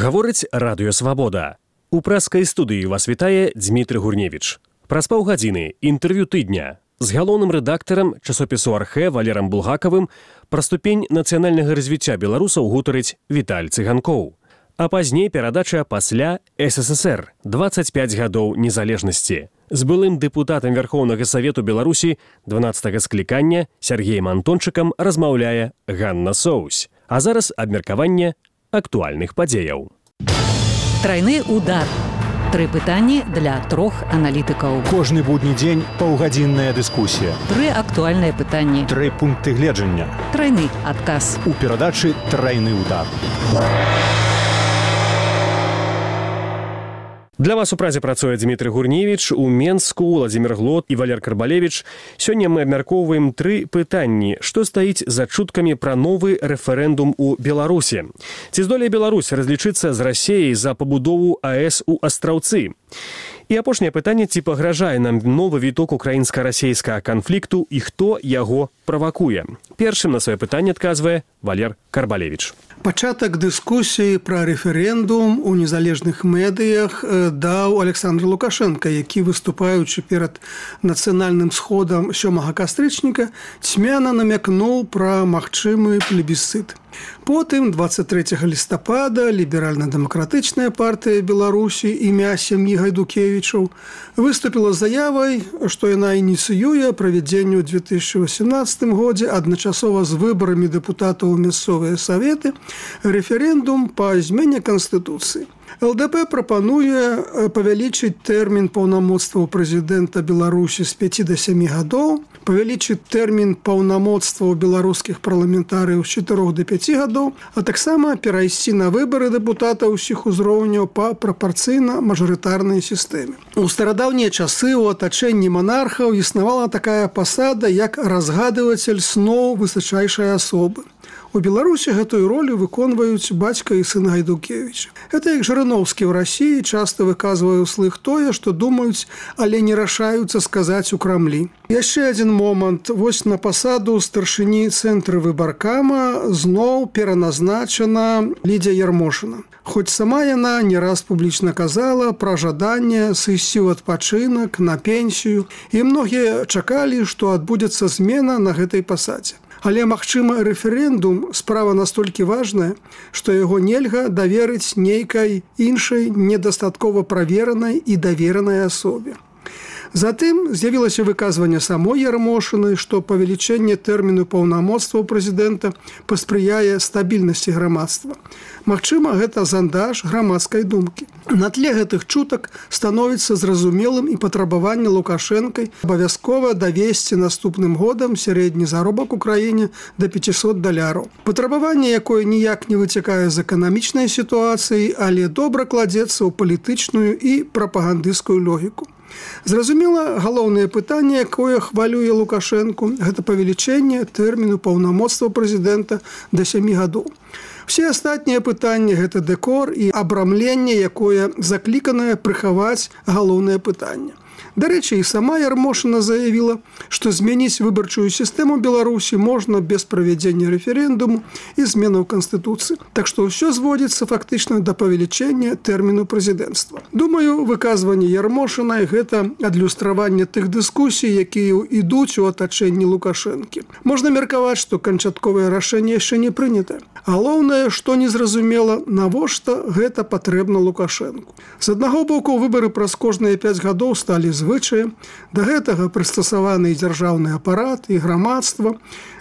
Гаворыць Радыё Свабода. У прэскай студыі вас вітае Дмітрый Гурневіч. Праз паўгадзіны інтэрв'ю тыдня з галоўным рэдактарам часопісу «Архэ» Валерам Булгакавым пра ступень нацыянальнага развіцця беларусаў гутарыць Віталь Цыганкоў. А пазней перадача пасля СССР 25 гадоў незалежнасці. З былым дэпутатам Верхоўнага Савету Беларусі 12-га склікання Сергеем Антончыкам размаўляе Ганна Соусь. А зараз абмеркаванне актуальных падзеяў. Трайны удар. 3 пытанні для 3 аналітыкаў. Кожны будні дзень паўгадзінная дыскусія. 3 актуальныя пытанні. 3 пункты гледжання. Трайны адказ. У перадачы «Трайны удар». Для вас у празе працуе Дмітрый Гурневіч, у Менску Владзімір Глот і Валер Карбалевіч. Сёння мы абмяркоўваем 3 пытанні. Што стаіць за чуткамі пра новы рэферэндум у Беларусі? Ці здолее Беларусь разлічыцца з Расіяй за пабудову АЭС у Астраўцы? І апошняе пытанне, ці пагражае нам новы віток украінска-расейскага канфлікту і хто яго правакуе? Першым на сваё пытанне адказвае Валер Карбалевіч. Пачатак дыскусіі пра рэферэндум у незалежных медыях даў Александр Лукашенко, які, выступаючы перад нацыянальным сходам 7 кастрычніка, цьмяна намякнуў пра магчымы плебісцыт. Потым 23 лістапада ліберальна-дэмакратычная партыя Беларусі імя сям'і Гайдукевічаў выступіла з заявай, што яна ініцыюе правядзенне ў 2018 годзе адначасова з выбарамі дэпутатаў у мясцовыя саветы рэферэндум па змене Канстытуцыі. ЛДП прапануе павялічыць тэрмін паўнамоцтваў прэзідэнта Беларусі з 5 до 7 гадоў, павялічыць тэрмін паўнамоцтваў беларускіх парламентарыяў з 4 до 5 гадоў, а таксама перайсці на выбары дэпутатаў усіх узроўняў па прапарцыйна-мажарытарнай сістэме. У старадаўнія часы ў атачэнні манархаў існавала такая пасада, як разгадывацель сноў высачайшай асобы. У Беларусі гэтую ролю выконваюць бацька і сын Гайдукевіча. Гэта як Жырыноўскі ў Расіі часта выказвае ўслых тое, што думаюць, але не рашаюцца сказаць у Крамлі. Яшчэ адзін момант. Вось на пасаду старшыні цэнтра выбаркама зноў пераназначана Лідзія Ярмошына. Хоць сама яна не раз публічна казала пра жаданне сысці ў адпачынак, на пенсію, і многія чакалі, што адбудзецца змена на гэтай пасадзе. Але, магчыма, рэферэндум справа настолькі важная, што яго нельга даверыць нейкай іншай недастаткова праверанай і даверанай асобе. Затым з'явілася выказванне самой Ярмошыны, што павелічэнне тэрміну паўнамоцтваў прэзідэнта паспрыяе стабільнасці грамадства. Магчыма, гэта зандаж грамадскай думкі. На тле гэтых чутак становіцца зразумелым і патрабаванне Лукашэнкай абавязкова давесці наступным годам сярэдні заробак у краіне да $500. Патрабаванне, якое ніяк не выцякае з эканамічнай сітуацыі, але добра кладзецца ў палітычную і прапагандысцкую логіку. Зразумела, галоўнае пытанне, якое хвалюе Лукашэнку, гэта павелічэнне тэрміну паўнамоцтваў прэзідэнта да 7 гадоў. Все астатнія пытанні – гэта дэкор і абрамленне, якое закліканае прыхаваць галоўнае пытанне. Дарэчы, і сама Ярмошына заявіла, што змяніць выбарчую сістэму Беларусі можна без правядзення рэферэндуму і зменаў Канстытуцыі. Так што ўсё зводзіцца фактычна да павелічэння тэрміну прэзідэнцтва. Думаю, выказванне Ярмошынай – гэта адлюстраванне тых дыскусій, якія ідуць у атачэнні Лукашэнкі. Можна меркаваць, што канчатковае рашэнне яшчэ не прынятае. Галоўнае, што незразумела, навошта гэта патрэбна Лукашэнку. З аднаго боку, выбары праз кожныя 5 гадоў сталі звычаем, да гэтага прыстасаваны і дзяржаўны апарат, і грамадства.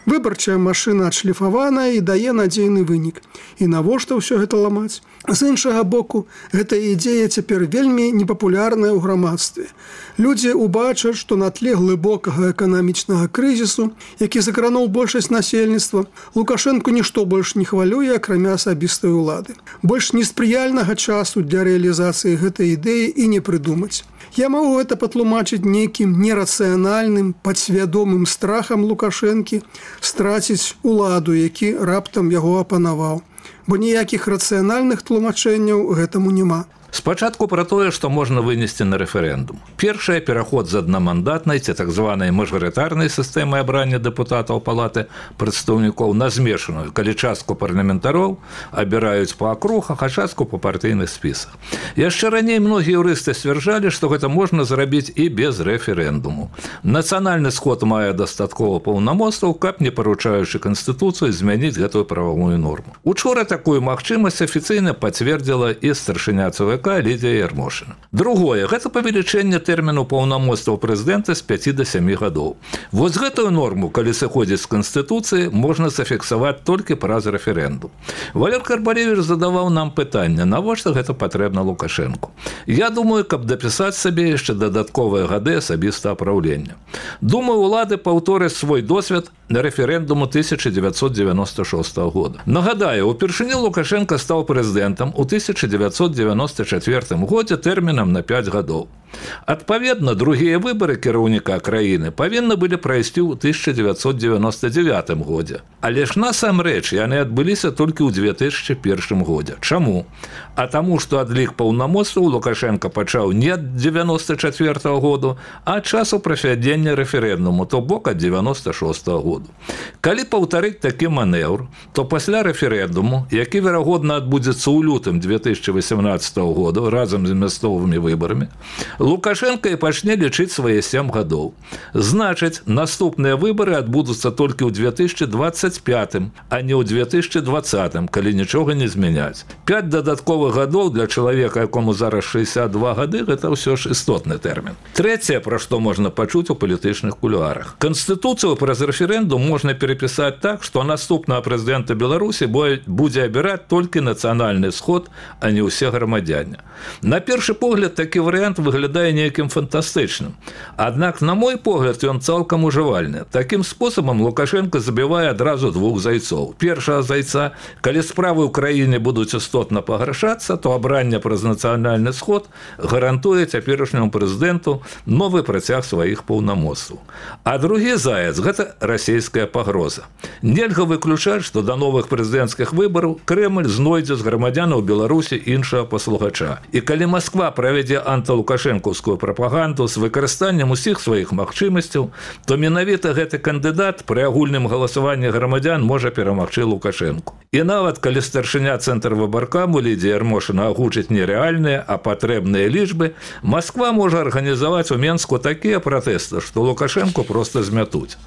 Выбарчая машына адшліфаваная і дае надзейны вынік. І навошта ўсё гэта ламаць? З іншага боку, гэтая ідэя цяпер вельмі непапулярная ў грамадстве. Людзі ўбачаць, што на тле глыбокага эканамічнага крызісу, які закрануў большасць насельніцтва, Лукашэнку нішто больш не хвалюе, акрамя асабістай улады. Больш неспрыяльнага часу для рэалізацыі гэтай ідэі і не прыдумаць. Я магу гэта патлумачыць нейкім нерацыянальным, падсвядомым страхам Лукашэнкі страціць уладу, які раптам яго апанаваў. Бо ніякіх рацыянальных тлумачэнняў гэтаму няма. Спачатку пра тое, што можна вынесці на рэферэндум. Першае, пераход з аднамандатнай ці так званай мажарытарнай сістэмы абрання дэпутатаў палаты прадстаўнікоў на змешаную, калі частку парламентароў абіраюць па акругах, а частку па партыйных спісах. Яшчэ раней многія юрысты сцвярджалі, што гэта можна зрабіць і без рэферэндуму. Нацыянальны сход мае дастаткова паўнамоцтваў, каб не парушаючы Канстытуцыю змяніць гэтую прававую норму. Учора такую магчымасць афіцыйна пацвердзіла і старшыня ЦВК Лідія Ярмошына. Другое, гэта павелічэнне тэрміну паўнамоцтваў прэзідэнта з 5 до 7 гадоў. Вось гэтую норму, калі сыходзіць з Канстытуцыі, можна зафіксаваць толькі праз рэферэндум. Валер Карбалевіч задаваў нам пытанне, навошта гэта патрэбна Лукашэнку. Я думаю, каб дапісаць сабе яшчэ дадатковыя гады асабістага праўлення. Думаю, улады паўтораць свой досвед на рэферэндуму 1996 года. Нагадаю, упершыню Лукашенко стаў прэзідэнтам у 1994 годзе тэрмінам на 5 гадоў. Адпаведна, другія выбары кіраўніка краіны павінны былі прайсці ў 1999 годзе. Але ж насамрэч яны адбыліся толькі ў 2001 годзе. Чаму? А таму, што адлік паўнамоцтваў Лукашенко пачаў не ад 94 году, а часу правядзення рэферэндуму, то бок ад 96 году. Калі паўтарыць такі манеўр, то пасля рэферэндуму, які верагодна адбудзецца ў лютым 2018 году разам з мясцовымі выбарамі, Лукашенко і пачне лічыць свае 7 гадоў. Значыць, наступныя выбары адбудуцца толькі ў 2025, а не ў 2020, калі нічога не змяняць. 5 дадатковых гадоў для чалавека, якому зараз 62 гады, гэта ўсё ж істотны тэрмін. Трэцяе, пра што можна пачуць у палітычных кулуарах. Канстытуцыю праз рэферэндум можна перапісаць так, што наступнага прэзідэнта Беларусі будзе абіраць толькі нацыянальны сход, а не ўсе грамадзяне. На першы погляд, такі варыянт выглядае нейкім фантастычным. Аднак, на мой погляд, ён цалкам ужывальны. Такім спосабам Лукашенко забівае адразу двух зайцоў. Першага зайца, калі справы ў краіне будуць істотна пагаршацца, то абранне праз нацыянальны сход гарантуе цяперашняму прэзідэнту новы працяг сваіх паўнамоцтваў. А другі заяц – гэта расійская пагроза. Нельга выключаць, што да новых прэзідэнцкіх выбараў Крэмль знойдзе з грамадзянаў Беларусі іншага паслугача. І калі Масква правядзе антылукашэнкаўскую прапаганду з выкарыстаннем усіх сваіх магчымасцяў, то менавіта гэты кандыдат пры агульным галасаванні грамадзян можа перамагчы Лукашэнку. І нават калі старшыня Цэнтрвыбаркаму Лідія Ярмошына агучыць не рэальныя, а патрэбныя лічбы, Масква можа арганізаваць у Менску такія пратэсты, што Лукашэнку проста змятуць.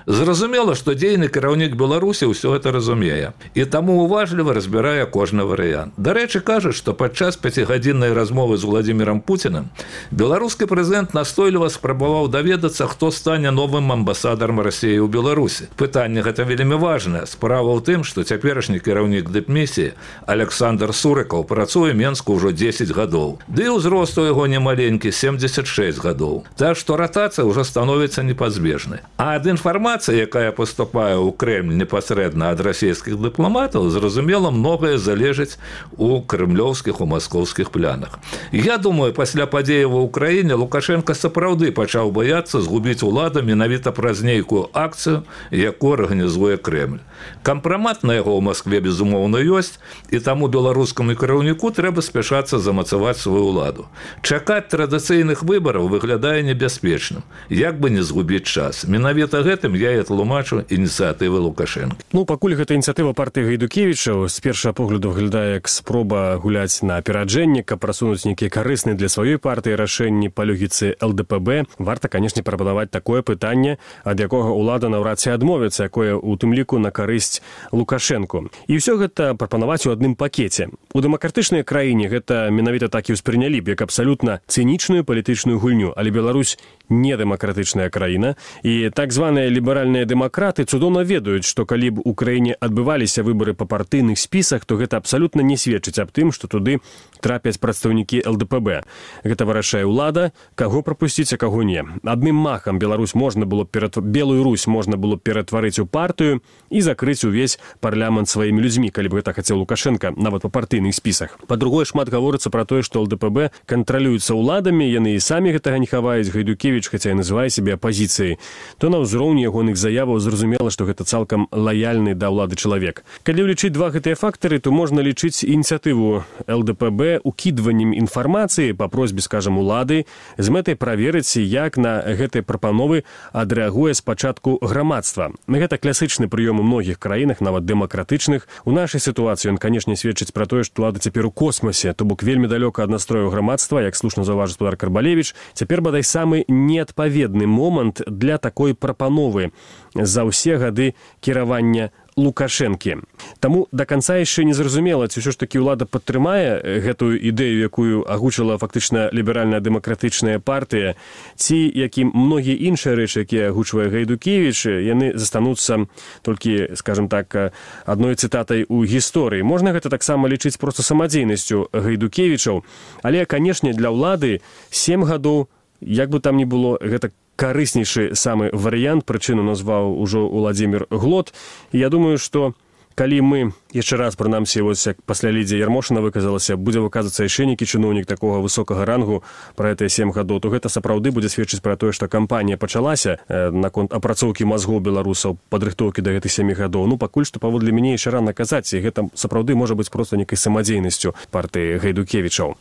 Зразумела, што дзейны кіраўнік Беларусі ўсё гэта разумее, і таму уважліва разбірае кожны варыянт. Дарэчы, кажуць, што падчас 5-гадзіннай размовы з Владзімірам Пуцінам беларускі прэзідэнт настойліва спрабаваў даведацца, хто стане новым амбасадарам Расіі ў Беларусі. Пытанне гэта вельмі важнае. Справа ў тым, што цяперашні кіраўнік дыпмісіі Александр Сурыкаў працуе Менску ўжо 10 гадоў. Ды і ўзрост у яго немаленькі 76 гадоў. Так што ратацыя ўжо становіцца непазбежнай. А ад інфармацыі, якая паступае ў Крэмль непасрэдна ад расійскіх дыпламатаў, зразумела, многае залежыць у крэмлёўскіх, у маскоўскіх планах. Я думаю, пасля падзеяў ва ўкраіне Лукашенко сапраўды пачаў баяцца згубіць уладу менавіта праз нейкую акцыю, якую арганізуе Крэмль. Кампрамат на яго ў Маскве, безумоўна, ёсць, і таму беларускаму кіраўніку трэба спяшацца замацаваць сваю ўладу. Чакаць традыцыйных выбараў выглядае небяспечным, як бы не згубіць час. Менавіта гэтым я і тлумачу ініцыятывы Лукашенко. Пакуль гэта ініцыятыва партыі Гайдукевіча, з першага погляду выглядае як спроба гуляць на апераджэнне, каб прасунуць нейкія карысныя для сваёй партыі рашэнні па логіцы ЛДПБ, варта, канешне, прапанаваць такое пытанне, ад якога ўлада наўрад ці адмовіцца, якое у тым ліку на карысць Лукашэнку. І ўсё гэта прапанаваць у адным пакеце. У дэмакратычнай краіне гэта менавіта так і ўспрынялі б як абсалютна цынічную палітычную гульню, але Беларусь не дэмакратычная краіна, і так званыя ліберальныя дэмакраты цудоўна ведаюць, што калі б у краіне адбываліся выбары па партыйных спісах, то гэта абсалютна не сведчыць аб тым, што туды трапяць прадстаўнікі ЛДПБ. Гэта вырашае ўлада, каго прапусціць, а каго не. Адным махам Белую Русь можна было ператварыць у партыю і закрыць увесь парламент сваімі людзьмі, калі б гэта хацеў Лукашенко, нават па партыйных спісах. Па-другое, шмат гаворыцца пра тое, што ЛДПБ кантралюецца ўладамі, яны і самі гэтага не хаваюць. Гайдукевіч Гайдукевіч, хаця і называе сябе апазіцыяй, то на ўзроўні ягоных заяваў зразумела, што гэта цалкам лаяльны да ўлады чалавек. Калі ўлічыць два гэтыя фактары, то можна лічыць ініцыятыву ЛДПБ укідваннем інфармацыі па просьбе, скажам, улады з мэтай праверыць, як на гэтыя прапановы адрэагуе спачатку грамадства. Гэта класычны прыём у многіх краінах, нават дэмакратычных. У нашай сітуацыі ён, канешне, сведчыць пра тое, што ўлада цяпер у космосе, то бок вельмі далёка ад настрою грамадства, як слушна заўважыў гаспадар Карбалевіч. Цяпер, бадай, самы неадпаведны момант для такой прапановы за ўсе гады кіравання Лукашэнкі. Таму да канца яшчэ не зразумела, ці ўсё ж такі ўлада падтрымае гэтую ідэю, якую агучыла фактычна ліберальная дэмакратычная партыя, ці якім многія іншыя рэчы, якія агучвае Гайдукевіч, яны застануцца толькі, скажем так, адной цытатай у гісторыі. Можна гэта таксама лічыць проста самадзейнасцю Гайдукевічаў, але, канешне, для ўлады 7 гадоў, як бы там ні было, гэта карыснейшы самы варыянт, прычыну назваў ужо Уладзімір Глот. І я думаю, што калі мы яшчэ раз, прынамсі, вось як пасля Лідзія Ярмошына выказалася, будзе выказвацца яшчэ нейкі чыноўнік такога высокага рангу пра гэтыя 7 гадоў, то гэта сапраўды будзе сведчыць пра тое, што кампанія пачалася наконт апрацоўкі мазгоў беларусаў, падрыхтоўкі да гэтых 7 гадоў. Ну, пакуль што, паводле мяне, яшчэ рана казаць, і гэта сапраўды можа быць проста нейкай самадзейнасцю партыі Гайдукевічаў.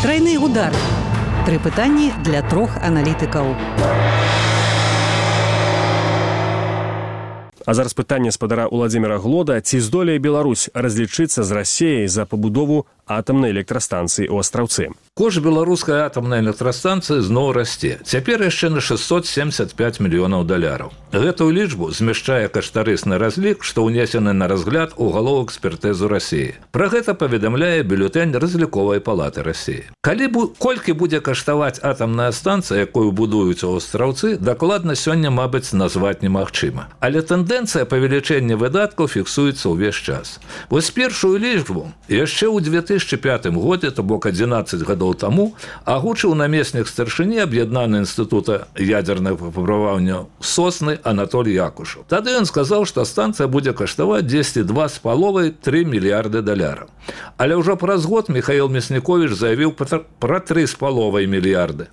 Трайны удар. 3 пытанні для 3 аналітыкаў. А зараз пытанне спадара Уладзіміра Глода. Ці здолее Беларусь разлічыцца з Расіяй за пабудову атамнай электрастанцыі ў Астраўцы? Кошт беларускай атамнай электрастанцыі зноў расце. Цяпер яшчэ на $675 мільёнаў. Гэтую лічбу змяшчае каштарысны разлік, што ўнесены на разгляд у галоў экспертызу Расіі. Пра гэта паведамляе бюлетэнь разліковай палаты Расіі. Колькі будзе каштаваць атамная станцыя, якую будуюць у Астраўцы, дакладна сёння, мабыць, назваць немагчыма. Але тэндэнцыя павелічэння выдаткаў фіксуецца ўвесь час. Вось першую лічбу яшчэ ў 2005 годзе, то бок 11 гадоў таму, агучыў намеснік старшыні аб'яднанага інстытута ядзернага выпрабавання Сосны Анатоль Якушаў. Тады ён сказаў, што станцыя будзе каштаваць 2,5–3 мільярды $. Але ўжо праз год Михаил Мясніковіч заявіў пра 3,5 мільярды.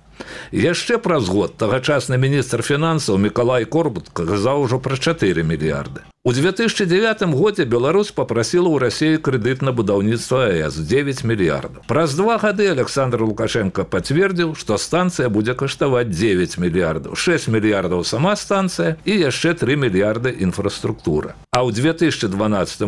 Яшчэ праз год тагачасны міністр фінансаў Мікалай Корбутка казаў ужо пра 4 мільярды. У 2009 годзе Беларусь папрасіла ў Расіі крэдыт на будаўніцтва АЭС 9 мільярдаў. Праз 2 гады Александр Лукашенко пацвердзіў, што станцыя будзе каштаваць 9 мільярдаў, 6 мільярдаў сама станцыя і яшчэ 3 мільярды інфраструктура. А ў 2012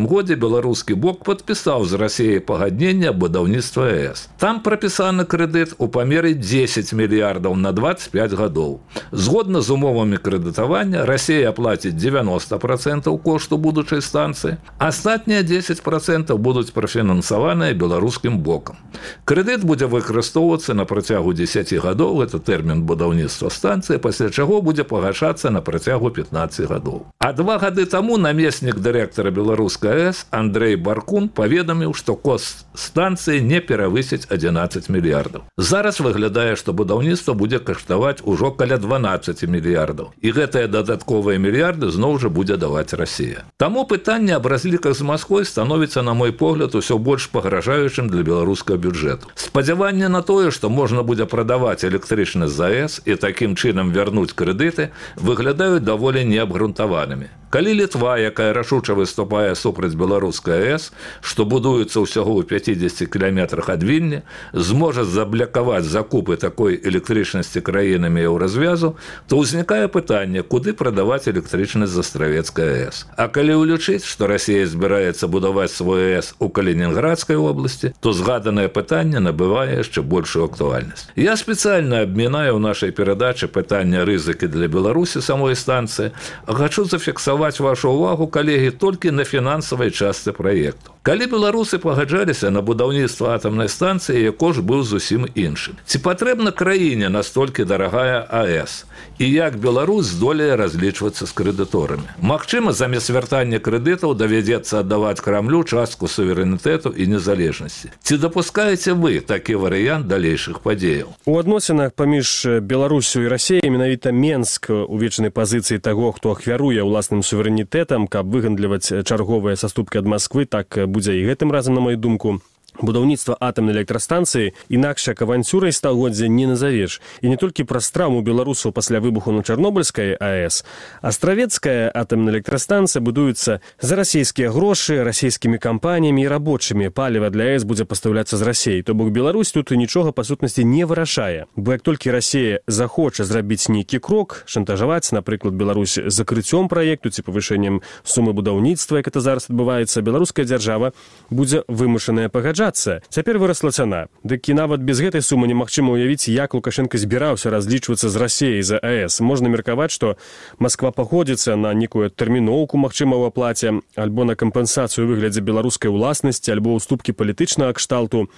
годзе беларускі бок падпісаў з Расіяй пагадненне аб будаўніцтва АЭС. Там прапісаны крэдыт у памеры 10 мільярдаў на 25 гадоў. Згодна з умовамі крэдытавання, Расія аплаціць 90% кошту будучай станцыі, астатнія 10% будуць прафінансаваныя беларускім бокам. Крэдыт будзе выкарыстоўвацца на працягу 10 гадоў, гэта тэрмін будаўніцтва станцыі, пасля чаго будзе пагашацца на працягу 15 гадоў. А 2 гады таму намеснік дырэктара беларускай АЭС Андрэй Баркун паведаміў, што кошт станцыі не перавысіць 11 мільярдаў. Зараз выглядае, што будаўніцтва будзе каштаваць ужо каля 12 мільярдаў. І гэтыя дадатковыя мільярды зноў жа будзе даваць Расія. Таму пытанне аб разліках з Масквой становіцца, на мой погляд, усё больш пагражаючым для беларускага бюджэту. Спадзяванне на тое, што можна будзе прадаваць электрычнасць з АЭС і такім чынам вярнуць крэдыты, выглядаюць даволі неабгрунтаванымі. Калі Літва, якая рашуча выступае супраць беларускай АЭС, што будуецца ўсяго ў 50 кіламетрах ад Вільні, зможа заблякаваць закупы такой электрычнасці краінамі еўразвязу, то ўзнікае пытанне, куды прадаваць электрычнасць з Астравецкай АЭС. А калі ўлічыць, што Расія збіраецца будаваць свой АЭС у Калінінградскай вобласці, то згаданае пытанне набывае яшчэ большую актуальнасць. Я спецыяльна абмінаю ў нашай перадачы пытання рызыкі для Беларусі самой станцыі, а хачу зафіксаваць вашу увагу, калегі, толькі на фінансавай частцы праекту. Калі беларусы пагаджаліся на будаўніцтва атамнай станцыі, кошт быў зусім іншым. Ці патрэбна краіне настолькі дарагая АЭС? І як Беларусь здолее разлічвацца з крэдыторамі? Магчыма, замест вяртання крэдытаў давядзецца аддаваць Крамлю частку суверэнітэту і незалежнасці. Ці дапускаеце вы такі варыянт далейшых падзеяў? У адносінах паміж Беларусю і Расіяй менавіта Менск у вечнай пазіцыі таго, хто ахвяруе ўласным суверэнітэтам, каб выгандліваць чарговыя саступкі ад Масквы, так будзе і гэтым разам, на мою думку. Будаўніцтва атамнай электрастанцыі інакш як аванцюрай стагоддзя не назавеш. І не толькі праз траўму беларусаў пасля выбуху на Чарнобыльскай АЭС. Астравецкая атамная электрастанцыя будуецца за расійскія грошы, расійскімі кампаніямі і рабочымі. Паліва для АЭС будзе пастаўляцца з Расіі. То бок Беларусь тут нічога па сутнасці не вырашае. Бо як толькі Расія захоча зрабіць нейкі крок, шантажаваць, напрыклад, Беларусь закрыццём праекту ці павышэннем сумы будаўніцтва, як это зараз адбываецца, беларуская дзяржава будзе вымушаная пагаджацца. Цяпер вырасла цана. Дык і нават без гэтай сумы немагчыма ўявіць, як Лукашенко збіраўся разлічвацца з Расіяй за АЭС. Можна меркаваць, што Масква паходзіцца на некую тэрміноўку, магчыма, ў аплаце, альбо на кампенсацыю ў выглядзе беларускай уласнасці, альбо ўступкі палітычнага кшталту,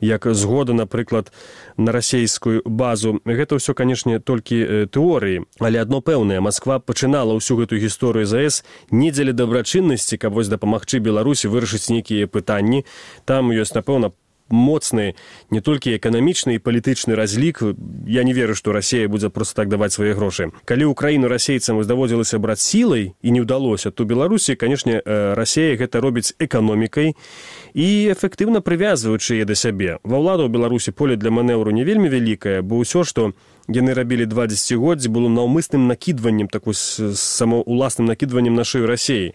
як згода, напрыклад, на расійскую базу. Гэта ўсё, канешне, толькі тэорыі. Але адно пэўнае, Масква пачынала ўсю гэтую гісторыю з АЭС не дзеля дабрачыннасці, каб вось дапамагчы Беларусі вырашыць нейкія пытанні. Там ёсць, напэўна, моцны не толькі эканамічны і палітычны разлік. Я не веру, што Расія будзе проста так даваць свае грошы. Калі ўкраіну расейцам даводзілася браць сілай і не ўдалося, то Беларусі, канешне, Расія гэта робіць эканомікай і эфектыўна прывязваючы яе да сябе. Ва ўладу ў Беларусі поле для манеўру не вельмі вялікае, бо ўсё, што яны рабілі 2 дзесяцігоддзі, было наўмысным накідваннем, такой самаўласным накідваннем на шыю Расіі.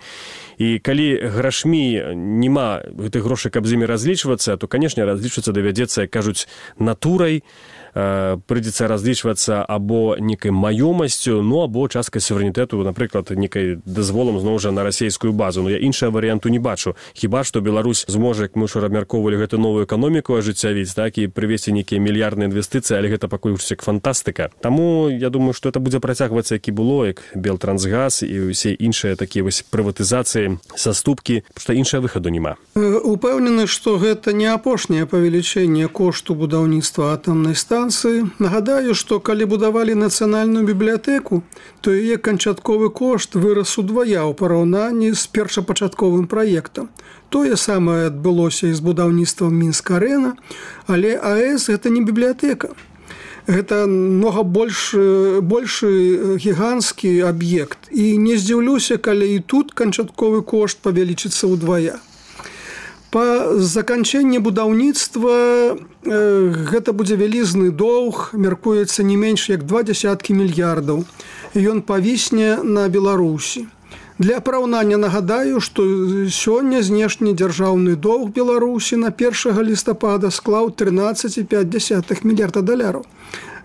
І калі грашмі няма гэтых грошай, каб з імі разлічвацца, то, канешне, разлічвацца давядзецца, як кажуць, натурай, прыйдзецца разлічвацца або некай маёмасцю, ну, або часткай суверэнітэту, напрыклад, некай дазволам, зноў жа, на расійскую базу. Ну, я іншага варыянту не бачу. Хіба што Беларусь зможа, як мы ўжо абмяркоўвалі, гэту новую эканоміку ажыццявіць, так, і прывесці нейкія мільярдныя інвестыцыі, але гэта пакуль як фантастыка. Таму я думаю, што это будзе працягвацца, як і было, як Белтрансгаз і ўсе іншыя такія вось прыватызацыі, саступкі, што іншага выхаду няма. Упэўнены, што гэта не апошняе павелічэнне кошту будаўніцтва атамнай станцыі. Нагадаю, што калі будавалі нацыянальную бібліятэку, то яе канчатковы кошт вырас удвая ў параўнанні з першапачатковым праектам. Тое самае адбылося і з будаўніцтвам Мінск-арэна, але АЭС гэта не бібліятэка. Гэта многа большы гіганцкі аб'ект. І не здзіўлюся, калі і тут канчатковы кошт павялічыцца ўдвая. Па заканчэнні будаўніцтва гэта будзе вялізны доўг, мяркуецца не менш як 20 мільярдаў. Ён павісне на Беларусі. Для параўнання нагадаю, што сёння знешні дзяржаўны доўг Беларусі на 1 лістапада склаў 13,5 мільярда даляраў.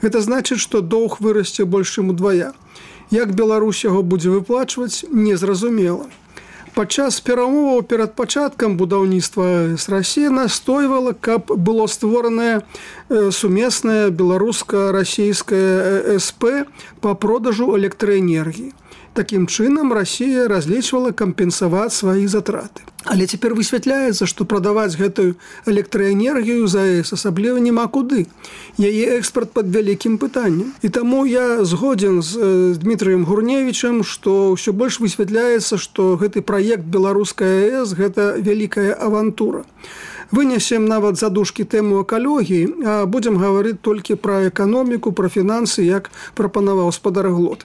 Гэта значыць, што доўг вырасце больш чым удвая. Як Беларусь яго будзе выплачваць, незразумела. Падчас перамоваў перад пачаткам будаўніцтва АЭС Расія настойвала, каб было створанае сумеснае беларуска-расійскае СП па продажу электраэнергіі. Такім чынам Расія разлічвала кампенсаваць свае затраты. Але цяпер высвятляецца, што прадаваць гэтую электраэнергію за АЭС асабліва няма куды. Яе экспарт пад вялікім пытаннем. І таму я згодзен з Дмітрыем Гурневічам, што ўсё больш высвятляецца, што гэты праект беларускай АЭС гэта вялікая авантура. Вынесем нават задушкі тэму экалогіі, а будзем гаварыць толькі пра эканоміку, пра фінансы, як прапанаваў спадар Глот.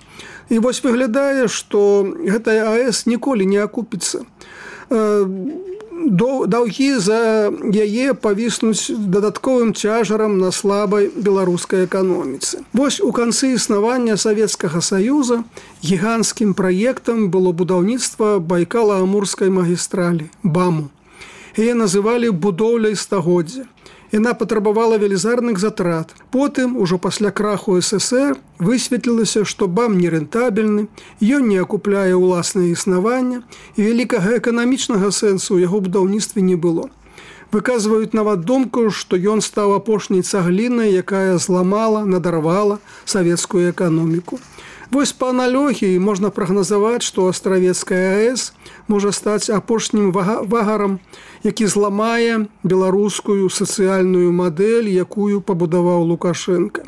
І вось выглядае, што гэтая АЭС ніколі не акупіцца. Даўгі за яе павіснуць дадатковым цяжарам на слабай беларускай эканоміцы. Вось у канцы існавання Савецкага Саюза гіганцкім праектам было будаўніцтва Байкала-Амурскай магістралі, БАМу. Яе называлі будоўляй стагоддзя. Яна патрабавала велізарных затрат. Потым, ужо пасля краху СССР, высветлілася, што БАМ нерэнтабельны, ён не акупляе ўласнае існаванне, і вялікага эканамічнага сэнсу ў яго будаўніцтве не было. Выказваюць нават думку, што ён стаў апошняй цаглінай, якая зламала, надарвала савецкую эканоміку. Вось па аналогіі можна прагназаваць, што Астравецкая АЭС можа стаць апошнім вагарам, які зламае беларускую сацыяльную мадэль, якую пабудаваў Лукашенко.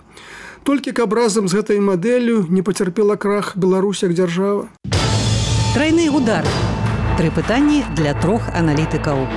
Толькі каб разам з гэтай мадэллю не пацярпела крах Беларусь як дзяржава. Трайны удар. 3 пытанні для 3 аналітыкаў.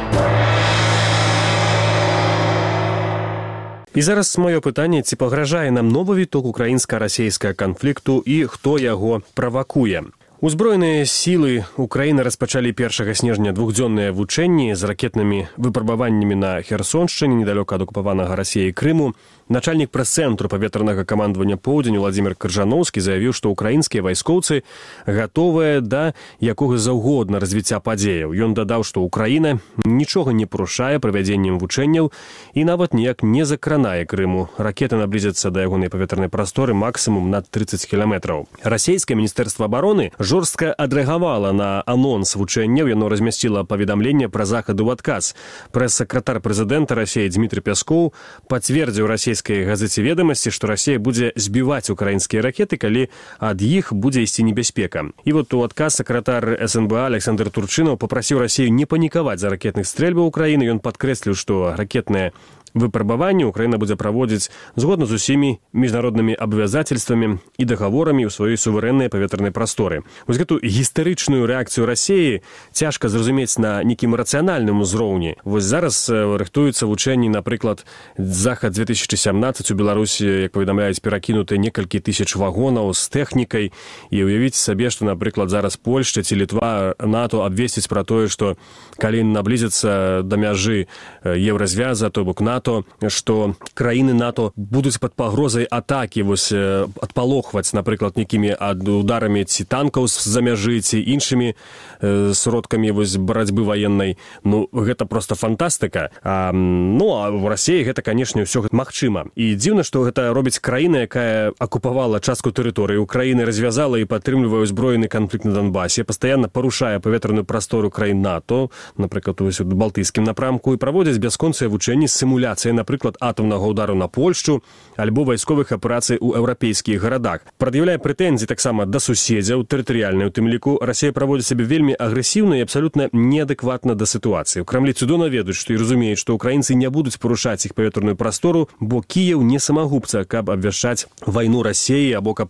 І зараз маё пытанне, ці пагражае нам новы віток украінска-расійскага канфлікту і хто яго правакуе. У Узброеныя сілы Украіны распачалі 1 снежня двухдзённыя вучэнні з ракетнымі выпрабаваннямі на Херсоншчыне, недалёка ад акупаванага Расіяй Крыму. Начальнік прэс-цэнтру паветранага камандавання «Поўдзень» Владзімир Крыжановскі заявіў, што ўкраінскія вайскоўцы гатовыя да якога заўгодна развіцця падзеяў. Ён дадаў, што Украіна нічога не парушае правядзеннем вучэнняў і нават ніяк не закранае Крыму. Ракеты наблізяцца да ягонай паветранай прасторы максімум на 30 кіламетраў. Расійскае міністэрства абароны жорстка адрэагавала на анонс вучэнняў. Яно размясціла паведамленне пра захад у адказ. Прэс-сакратар прэзідэнта Расіі Дмітрый Пяскоў пацвердзіў расійскай газеце «Ведомасці», што Расія будзе збіваць украінскія ракеты, калі ад іх будзе ісці небяспека. І вот у адказ сакратар СНБА Александр Турчынаў папрасіў Расію не панікаваць за ракетных стрэльбаў Украіны. Ён падкрэсліў, што ракетныя выпрабаванні Украіна будзе праводзіць згодна з усімі міжнароднымі абавязательствамі і дагаворамі ў сваёй суверэннай паветранай прасторы. Вось гэту гістарычную рэакцыю Расіі цяжка зразумець на нейкім рацыянальным узроўні. Вось зараз рыхтуюцца вучэнні, напрыклад, захад 2017 у Беларусі, як паведамляюць, перакінуты некалькі тысяч вагонаў з тэхнікай. І уявіце сабе, што, напрыклад, зараз Польшча ці Літва, НАТО абвесціць пра тое, што калі наблізяцца да мяжы еўразвяза, то бок НАТО, што краіны НАТО будуць пад пагрозай атакі, вось адпалохваць, напрыклад, нейкімі ударамі ці танкаў з-за мяжы, ці іншымі сродкамі вось барацьбы ваеннай. Ну, гэта проста фантастыка. Ну, а ў Расіі гэта, канешне, ўсё гэта магчыма. І дзіўна, што гэта робіць краіна, якая акупавала частку тэрыторыі Украіны, развязала і падтрымлівае ўзброены канфлікт на Донбасе, пастаянна парушае паветраную прастору краін НАТО, напрыклад, у балтыйскім напрамку, і праводзяць бясконцыя вучэнні з сімуляцыяй, напрыклад, атамнага ўдару на Польшчу альбо вайсковых аперацый у еўрапейскіх гарадах. Прад'яўляе прэтэнзіі таксама да суседзяў, тэрытарыяльнай у тым ліку. Расія праводзіць сябе вельмі агрэсіўна і абсалютна неадэкватна да сітуацыі. У Крамлі цудоўна ведаюць, што і разумеюць, што ўкраінцы не будуць парушаць іх паветраную прастору, бо Кіеў не самагубца, каб абвяшчаць вайну Расіі або каб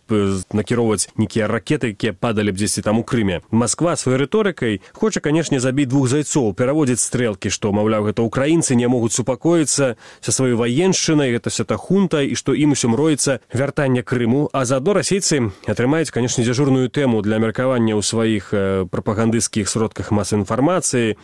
накіроўваць нейкія ракеты, якія падалі б дзесьці там у Крыме. Масква сваёй рыторыкай хоча, канешне, забіць двух зайцоў, пераводзіць стрэлкі, што, маўляў, гэта ўкраінцы не могуць супакоіцца са сваёй ваеншчынай, гэта вся та хунта, і што ім усё мроіцца вяртанне Крыму. А заадно расейцы атрымаюць, канешне, дзяжурную тэму для меркавання ў сваіх прапагандысцкіх сродках масавай інфармацыі.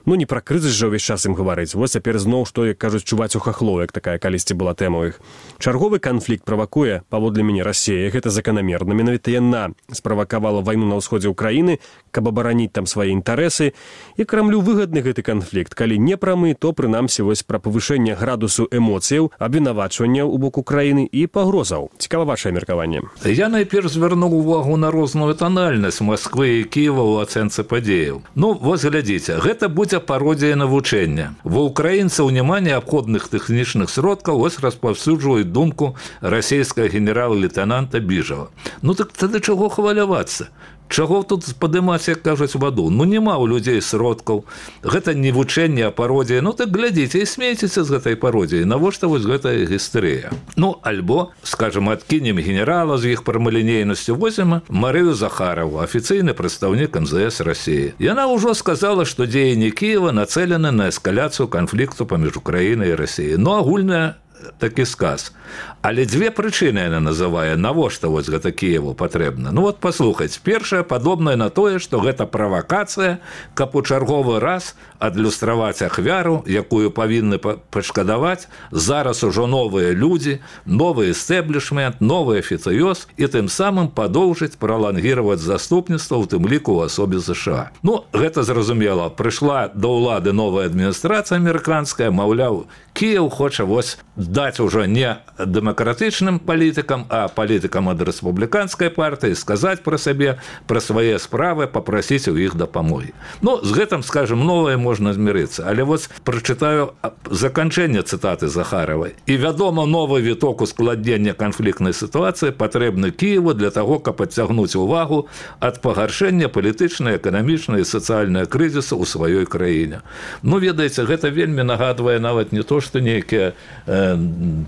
Ну, не пра крызіс жа ўвесь час ім гаварыць. Вось цяпер зноў, што, як кажуць, чуваць у хахлоў, як такая калісьці была тэма ў іх. Чарговы канфлікт правакуе, паводле мяне, Расія. Гэта заканамерна. Менавіта яна справакавала вайну на ўсходзе ўкраіны, каб абараніць там свае інтарэсы. І Крамлю выгадны гэты канфлікт. Калі не прамы, то, прынамсі, вось пра павышэнне градусу эмоцыяў, абвінавачванняў у бок Украіны і пагрозаў. Цікава вашае меркаванне. Я найперш звярнуў увагу на розную танальнасць Масквы і Кіева ў ацэнцы падзеяў. Ну, вось глядзіце, гэта будзе пародія навучэння. Ва ўкраінцаў няма неабходных тэхнічных сродкаў, вось распаўсюджваюць думку расійскага генерала-лейтенанта Біжава. Ну так тады чаго хвалявацца? Чаго тут падымаць, як кажуць, ваду? Ну, няма ў людзей сродкаў. Гэта не вучэнне, а пародія. Ну, так глядзіце і смейцеся з гэтай пародіяй. Навошта вось гэтая гістэрыя? Ну, альбо, скажем, адкінем генерала з іх прамалінейнасцю, возьмем Марыю Захарову, афіцыйны прадстаўнік МЗС Расіі. Яна ўжо сказала, што дзеянні Кіева нацэлены на эскаляцыю канфлікту паміж Украінай і Расіяй. Ну, агульная такі сказ. Але дзве прычыны яна называе, навошта вось гэта Кіеву патрэбна. Ну вот паслухаць, першае падобнае на тое, што гэта правакацыя, каб у чарговы раз адлюстраваць ахвяру, якую павінны пашкадаваць зараз ужо новыя людзі, новы эстэблішмент, новы афіцыёз, і тым самым падоўжыць, пралангіраваць заступніцтва, у тым ліку ў асобе ЗША. Ну, гэта зразумела, прыйшла да ўлады новая адміністрацыя амерыканская, маўляў, Кіеў хоча вось даць ужо не дэмакратычным палітыкам, а палітыкам ад рэспубліканскай партыі, сказаць пра сабе, пра свае справы, папрасіць у іх дапамогі. Ну, з гэтым, скажем, новае можна змірыцца. Але вось прачытаю заканчэнне цытаты Захаравай. І, вядома, новы віток ускладнення канфліктнай сітуацыі патрэбны Кіеву для таго, каб адцягнуць увагу ад пагаршэння палітычнай, эканамічнай і сацыяльнай крызісу ў сваёй краіне. Ну, ведаеце, гэта вельмі нагадвае нават не то, што нейкія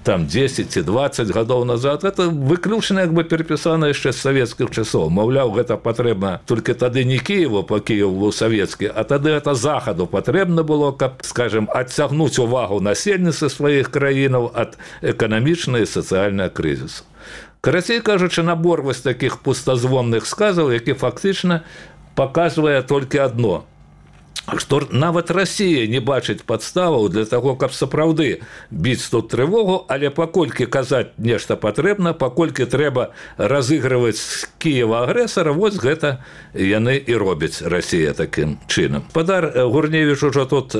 там 10 ці 20 гадоў назад, это выключна як бы перапісана яшчэ з савецкіх часоў. Маўляў, гэта патрэбна толькі тады не Кіеву, па Кіеву савецкі, а тады это захаду патрэбна было, каб, скажем, адцягнуць увагу насельніцтва сваіх краінаў ад эканамічнай і сацыяльнай крызісу. Карацей кажучы, набор вось такіх пустазвонных сказаў, які фактычна паказвае толькі адно, што нават Расія не бачыць падставаў для таго, каб сапраўды біць тут трывогу, але паколькі казаць нешта патрэбна, паколькі трэба разыгрываць з Кіева агрэсара, вось гэта яны і робяць, Расія, такім чынам. Спадар Гурневіч ужо тут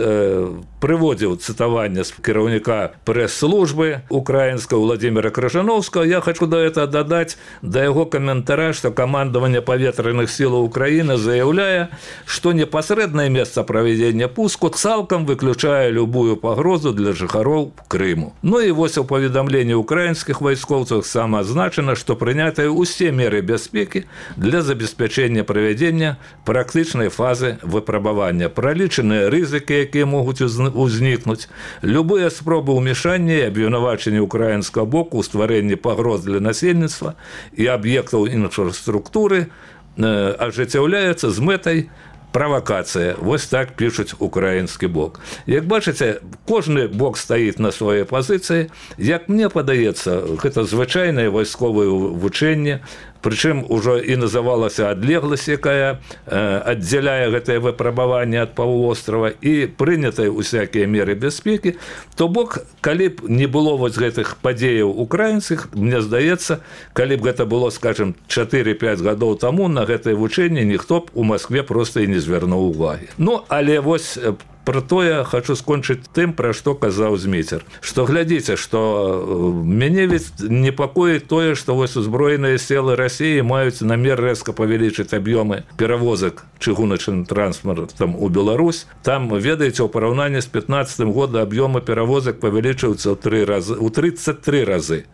прыводзіў цытаванне з кіраўніка прэс-службы украінскага Владзіміра Крыжаноўскага. Я хочу да гэта дадаць да яго каментара, што камандаванне паветраных сілаў Украіны заяўляе, што непасрэднае месца проведения пуску цалкам выключае любую пагрозу для жыхароў Крыму. Ну і вось у паведамленні украінскіх вайскоўцаў самаазначана, што прынятыя ўсе меры бяспекі для забеспячэння правядзення практычнай фазы выпрабавання. Пралічаныя рызыкі, якія могуць узнікнуць, любыя спробы ўмешання і абвінавачання украінскага боку ў стварэнні пагроз для насельніцтва і аб'ектаў інфраструктуры ажыццяўляецца з мэтай правакацыя. Вось так пішуць украінскі бок. Як бачыце, кожны бок стаіць на сваёй пазіцыі. Як мне падаецца, гэта звычайнае вайсковае вучэнне, прычым ужо і называлася адлегласць, якая аддзяляе гэтае выпрабаванне ад паўвострава, і прынятыя усякія меры бяспекі. То бок, калі б не было вось гэтых падзеяў украінскіх, мне здаецца, калі б гэта было, скажем, 4-5 гадоў таму, на гэтае вучэнне ніхто б у Маскве проста і не звярнуў увагі. Ну, але вось пра тое хочу скончыць тым, пра што казаў Зміцер. Што глядзіце, што мяне ведь непакоіць тое, што вось узброеныя сілы Расіі маюць намер рэзка павялічыць аб'ёмы перавозак чыгуначным транспартам у Беларусь. Там, ведаеце, у параўнанні з 15 годам аб'ёмы перавозак павялічыўся ў 33 разы.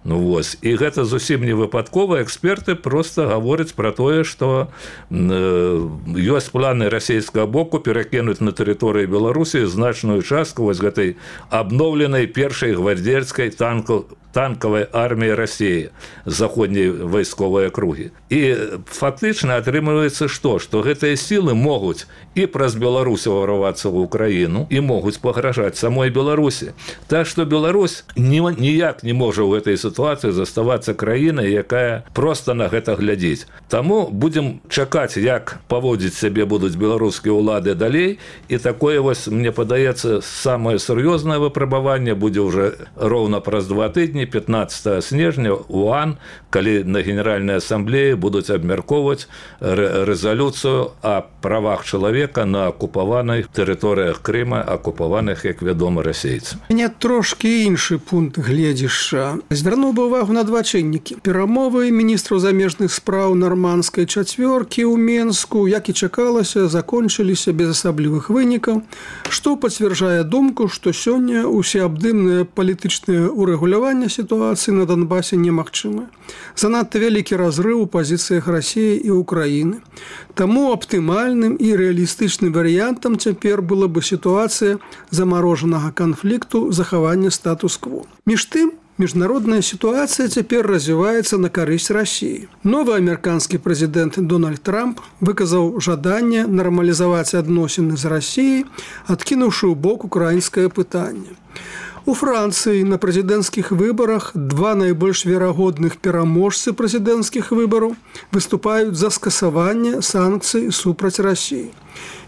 Ну вось, і гэта зусім не выпадкова. Эксперты просто гавораць пра тое, што ёсць планы расійскага боку перакінуць на тэрыторыі Беларусі значную частку вось гэтай абноўленай першай гвардзейскай танкавай арміі Расіі, заходняй вайсковай акругі. І фактычна атрымліваецца што? Што гэтыя сілы могуць і праз Беларусь ўварвацца ў Украіну, і могуць пагражаць самой Беларусі. Так што Беларусь ніяк не можа ў гэтай сітуацыі заставацца краінай, якая проста на гэта глядзіць. Таму будзем чакаць, як паводзіць сябе будуць беларускія ўлады далей, і такое вось, мне падаецца, самае сур'ёзнае выпрабаванне будзе ўжо роўна праз 2 тыдні, 15 снежня у ОАН, калі на Генеральнай асамблеі будуць абмяркоўваць рэзалюцыю о правах чалавека на акупаваных тэрыторыях Крыма, акупаваных, як вядома, расейцамі. Мне трошкі іншы пункт гледзішча. Звярнуў бы увагу на два чыннікі. Перамовы міністраў замежных спраў нармандскай чацвёркі ў Менску, як і чакалася, закончыліся без асаблівых вынікаў, што пацвярджае думку, што сёння усеабдымнае палітычнае урэгуляванне сітуацыі на Донбасе немагчымая. Занадта вялікі разрыў у пазіцыях Расіі і Украіны. Таму аптымальным і рэалістычным варыянтам цяпер была бы сітуацыя замарожанага канфлікту, захавання статус-кво. Між тым, міжнародная сітуацыя цяпер развіваецца на карысць Расіі. Новы амерыканскі прэзідэнт Дональд Трамп выказаў жаданне нармалізаваць адносіны з Расіяй, адкінуўшы ў бок украінскае пытанне. У Францыі на прэзідэнцкіх выбарах два найбольш верагодных пераможцы прэзідэнцкіх выбараў выступаюць за скасаванне санкцый супраць Расіі.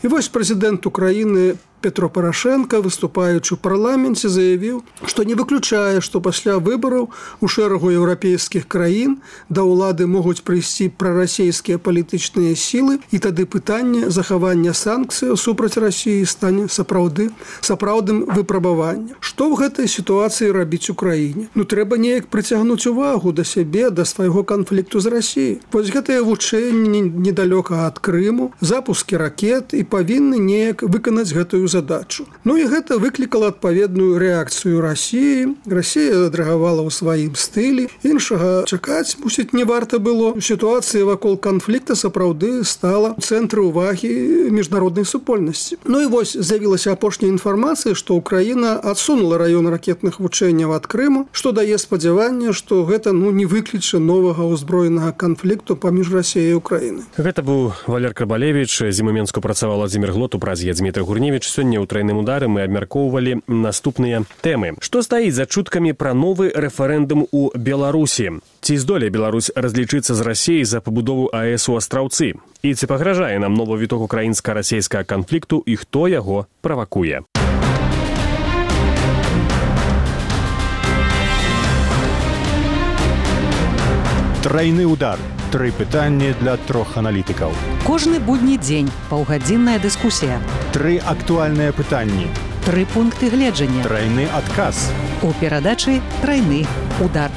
І вось прэзідэнт Украіны Петро Порошенко, выступаючы ў парламенце, заявіў, што не выключае, што пасля выбараў у шэрагу еўрапейскіх краін да ўлады могуць прыйсці прарасійскія палітычныя сілы, і тады пытанне захавання санкцыяў супраць Расіі стане сапраўдным выпрабаваннем. Што ў гэтай сітуацыі рабіць Украіне? Ну, трэба неяк прыцягнуць увагу да сябе, да свайго канфлікту з Расіяй. Вось гэтыя вучэнні недалёка ад Крыму, запускі ракет і павінны неяк выканаць гэтую задачу. Ну і гэта выклікала адпаведную рэакцыю Расіі. Расія адрэагавала ў сваім стылі. Іншага чакаць, мусіць, не варта было. Сітуацыя вакол канфлікта сапраўды стала ў цэнтры ўвагі міжнароднай супольнасці. Ну і вось з'явілася апошняя інфармацыя, што Украіна адсунула раён ракетных вучэнняў ад Крыму, што дае спадзяванне, што гэта не выкліча новага ўзброенага канфлікту паміж Расіяй і Украінай. Гэта быў Валер Карбалевіч. З ім у Менску працаваў Владзімір Глот, у празе Дзмітрый Гурневіч. Сёння ў трайным удары мы абмяркоўвалі наступныя тэмы. Што стаіць за чуткамі пра новы рэферэндум у Беларусі? Ці здолее Беларусь разлічыцца з Расіяй за пабудову АЭС у Астраўцы? І ці пагражае нам новы віток украінска-расійскага канфлікту і хто яго правакуе? Трайны удар. 3 пытанні для 3 аналітыкаў. Кожны будні дзень паўгадзінная дыскусія. 3 актуальныя пытанні. 3 пункты гледжання. Трайны адказ. У перадачы «Трайны удар».